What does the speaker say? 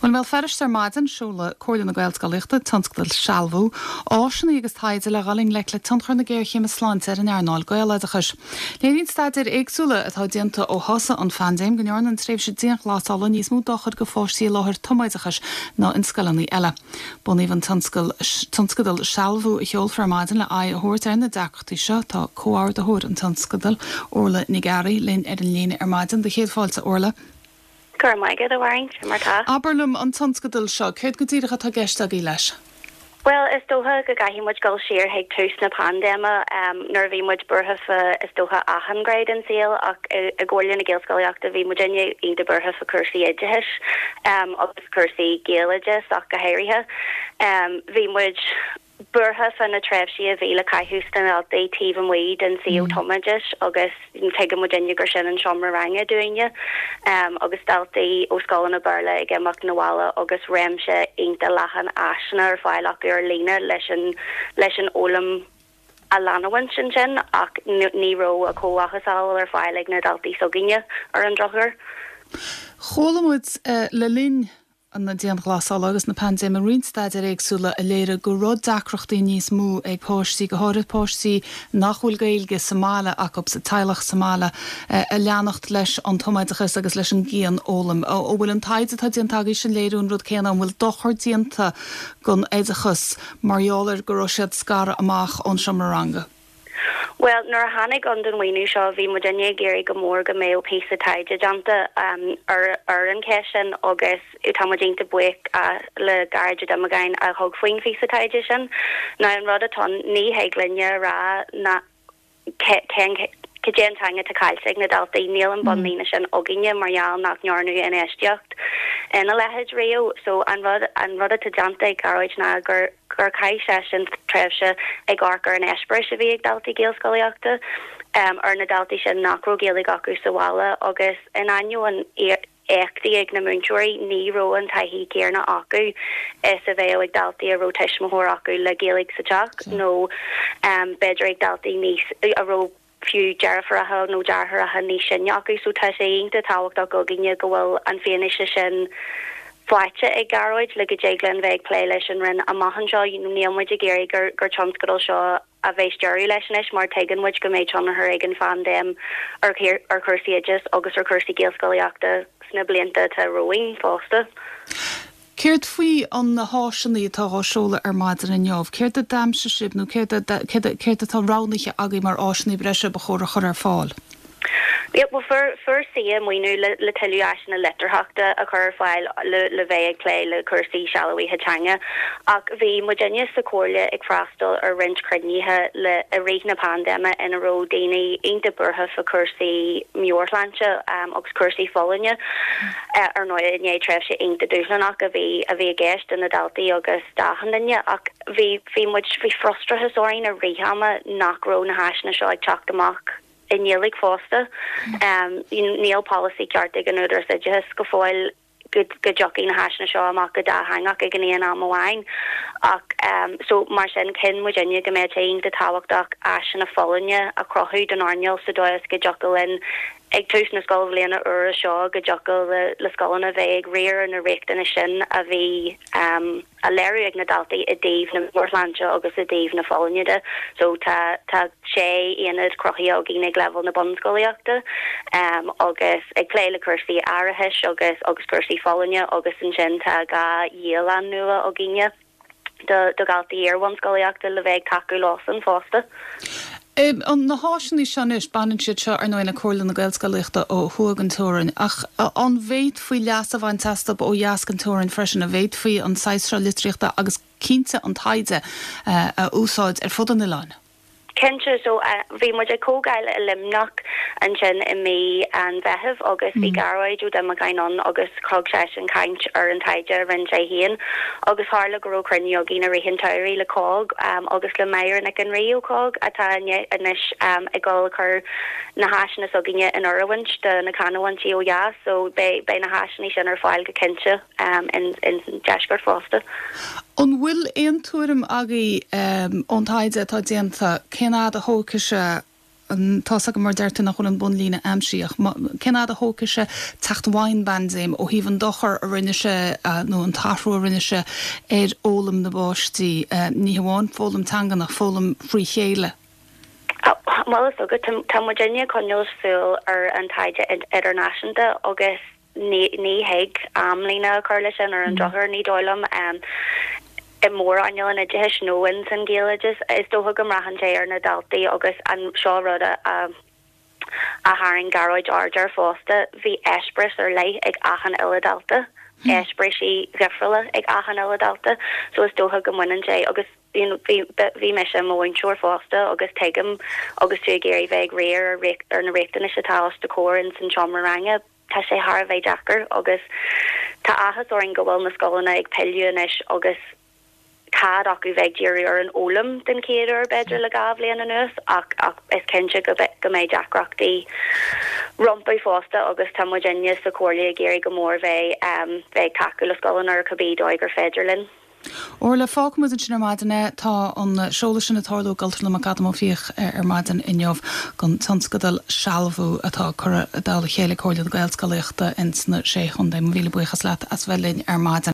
Bhuel, i mBéal Feirste ar maidin, seoladh Comhairle na Gaelscolaíochta, tionscadal Sealbhú, áiseanna agus taighde le dhul i ngleic le tionchar na géarchéime sláinte ar an earnáil Gaeloideachais. Léiríonn staidéir éagsúla atá déanta ó thosaigh an phaindéim go ndearna an tréimhse dianghlasála níos mó dochair do pháistí i láthair tumoideachais ná in scoileanna eile. Bunaíodh an tionscadal Sealbhú a sheolfar ar maidin le aghaidh a thabhairt ar na deacrachtaí seo. Tá comhordaitheoir an tionscadail, Orla Nic Fhearraigh, linn ar an líne ar maidin. Do chéad fáilte, a Orla. Go raibh maith agat, a Mháirín. Cad é mar tá? Abair liom, an tionscadal seo, céard go díreach atá i gceist agaibh leis? Bhuel, is dócha go gcaithfidh muid dul siar chuig tús na paindéime, nuair a bhí muid buartha fá, is dócha, achan ghné den saol ach i gComhairle na Gaelscolaíochta bhí muidinne iontach buartha fá cúrsaí oideachais agus cúrsaí Gaeloideachais ach go háirithe. Bhí muid buartha fá na tréimhsí a bhí le caitheamh sna daltaí taobh amuigh den suíomh tumoideachais agus tuigeann muidinne gur sin an seomra ranga dúinne agus daltaí ó scoileanna Béarla ag imeacht 'na bhaile agus réimse iontach leathan áiseanna ar fáil acu ar líne leis an leis an fhoghlaim a leanúint ansin ach ní raibh a chomh-mhacasamhail ar fáil ag na daltaí s'againne ar an drochuair. Chuala muid le linn na dianghlasála agus na paindéime roinnt staidéir éagsúla a léirigh go raibh deacrachtaí níos mó ag páistí, go háirithe páistí nach bhfuil Gaeilge sa mbaile acu, sa teaghlach sa mbaile, a leanacht leis an tumoideachas agus leis an gcianfhoghlaim. An bhfuil an taighde atá déanta agaibhse ag léiriú an rud céanna? An bhfuil dochar déanta don oideachas mar gheall ar go raibh siad scartha amach ón seomra ranga? Bhuel, nuair a tháinig ann don mhaoiniú seo, bhí muidinne ag iarraidh go mór go mbeadh píosa taighde déanta ar ar an cheist sin agus tá muid iontach buíoch le Gearóid Ó Diomagáin a thug faoin phíosa taighde sin. Now an rud atá ann, ní thig linne a rá ná cén cad é an teanga atá caillte ag na daltaí, níl an bunlíne sin againne mar gheall nach ndearnadh infheistíocht ina leithéid riamh. So an rud an rud atá déanta ag Gearóid ná gur gur chaith seisean tréimhse ag amharc ar an eispéireas a bhí ag daltaí Gaelscolaíochta, ar na daltaí sin nach raibh Gaeilge acu sa bhaile agus in ainneoin éachtaí ag na múinteoirí, ní raibh an taithí chéanna acu is a bheadh ag daltaí a raibh tuismitheoir acu le Gaeilge sa teach nó b'fhéidir ag daltaí níos a raibh fiú deirfiúracha nó deartháireacha níos sine acu so tá sé iontach tábhachtach againne go bhfuil an fianaise sin faighte ag Gearóid le go dtig linn bheith ag plé leis an Roinn amach anseo. Níl muid ag iarraidh gur gur tionscadal seo a bheas deireadh leis anois mar tuigeann muid go mbeidh tionchar ag an phaindéim ar ar chúrsaí oideachais agus ar chúrsaí Gaelscolaíochta sna blianta atá romhainn fosta. Céard faoi na háiseanna atá á seoladh ar maidin inniu? Céard a d'aimsigh sibh nó céard céard atá roghnaithe agaibh mar áiseanna breise ba chóir a chur ar fáil? Yeah, bhuel fuair fuair CA maoiniú le le tuilleadh áiseanna litearthachta a chur ar fáil le le bheith ag plé le cúrsaí sealbhaithe teanga ach bhí muidinne sa Chomhairle ag freastal ar roinnt cruinnithe le i rith na paindéime ina raibh daoine iontach buartha fá chúrsaí meabhairshláinte agus cúrsaí folláine. Ar ndóigh, i ndiaidh tréimhse iontach dúshlánach a bhí a bhí i gceist do na daltaí agus d'achan duine ach bhí bhí muid bhí frustrachas orainn i rith ama nach raibh na háiseanna seo ag teacht amach i nGaeilge fosta. Níl polasaí ceart ag an Údarás Oideachais go fóill go go dtiocfaidh na háiseanna seo amach go dátheangach ag an aon am amháin ach so mar sin chinn muidinne go mbeadh sé iontach tábhachtach áiseanna folláine a chruthú don earnáil sa dóigh is go dtiocfadh linn ag tús na scoilbhliana úire seo go dtiocfadh le scoileanna bheith ag riar ar na riachtanais sin a bhí á léiriú ag na daltaí i dtaobh na meabhairshláinte agus i dtaobh na folláine de. So tá tá sé aonad cruthaithe againn ag leibhéal na bunscolaíochta agus ag plé le cúrsaí aireachais agus agus cúrsaí folláine agus ansin tá 2 dhialann nua againne. do dhaltaí iar-bhunscolaíochta le bheith ag tacú leosan fosta. Na háiseanna seo anois, baineann siad seo ar ndóigh le Comhairle na Gaelscolaíochta ó thuaidh den teorainn, ach an bhféadfaí leas a bhaint astu ó dheas den teorainn freisin? An bhféadfaí an saghas seo litríochta agus cinnte an taighde a úsáid ar fud an oileáin? Cinnte, so bhí muid ag comhdháil i Luimneach ansin i mí an Mheithimh agus bhí Gearóid Ó Diomagáin ann agus thug seisean caint ar an taighde a rinne sé féin agus tharla go raibh cruinniú againn i rith an tsamhraidh le COGG agus le Máire Nic an Rí ó COGG atá anois ag dul a chur na háiseanna s'againne in oiriúint do na canúintí ó dheas so beidh na háiseanna sin ar fáil go cinnte. in deisceart fosta. An bhfuil aon tuairim agaibh ón taighde atá déanta cén fhad a thógfaidh sé Tá's agam mar deir tú nach bhfuil an bunlíne aimsithe ach cén fhad a thógfaidh sé teacht i bhfeidhm an phaindéim ó thaobh an dochar a rinne sé nó an t-athrú a rinne sé ar fhoghlaim na bpáistí, ní hamháin foghlaim teangan ach foghlaim frí chéile? Bhuel is dócha, tá muidinne ag coinneáil súil ar an taighde idirnáisiúnta agus ní thig amlíne a chur leis sin ar an drochuair, ní dóigh liom, i mórearnáil an oideachais nó ins an Ghaeloideachas. Is dócha go mbraitheann sé ar na daltaí agus an seo rud a a tharraing Gearóid aird air fosta, bhí eispéireas ar leith ag achan uile dalta, eispéirisí dhifriúla ag achan uile dalta, so is dócha go mbaineann sé agus you know bhí bhí mise i mo mhúinteoir fosta agus tuigim agus tú ag iarraidh bheith ag riar ar ar na riachtanais atá os do chomhair ins an seomra ranga, tá sé thar a bheith deacair agus tá áthas orainn go bhfuil na scoileanna ag pilleadh anois agus cead acu bheith ag díriú ar an fhoghlaim den chéad uair b'fhéidir le 2 bhliain anuas ach ach is cinnte go go mbeidh deacrachtaí rompu fosta agus tá muidinne sa Chomhairle ag iarraidh go mór bheith bheith ag tacú le scoileanna ar cibé dóigh gur féidir linn. Orla, fágfaidh muid ansin ar maidin é. Tá an seoladh sin ag tarlú i gCultúrlann McAdam Ó Fiaich ar maidin inniu don tionscadal Sealbhú atá curtha i dtoll a chéile ag Comhairle na Gaelscolaíochta ins na Sé Chontae. Mo mhíle buíochas leat as bheith linn ar maidin.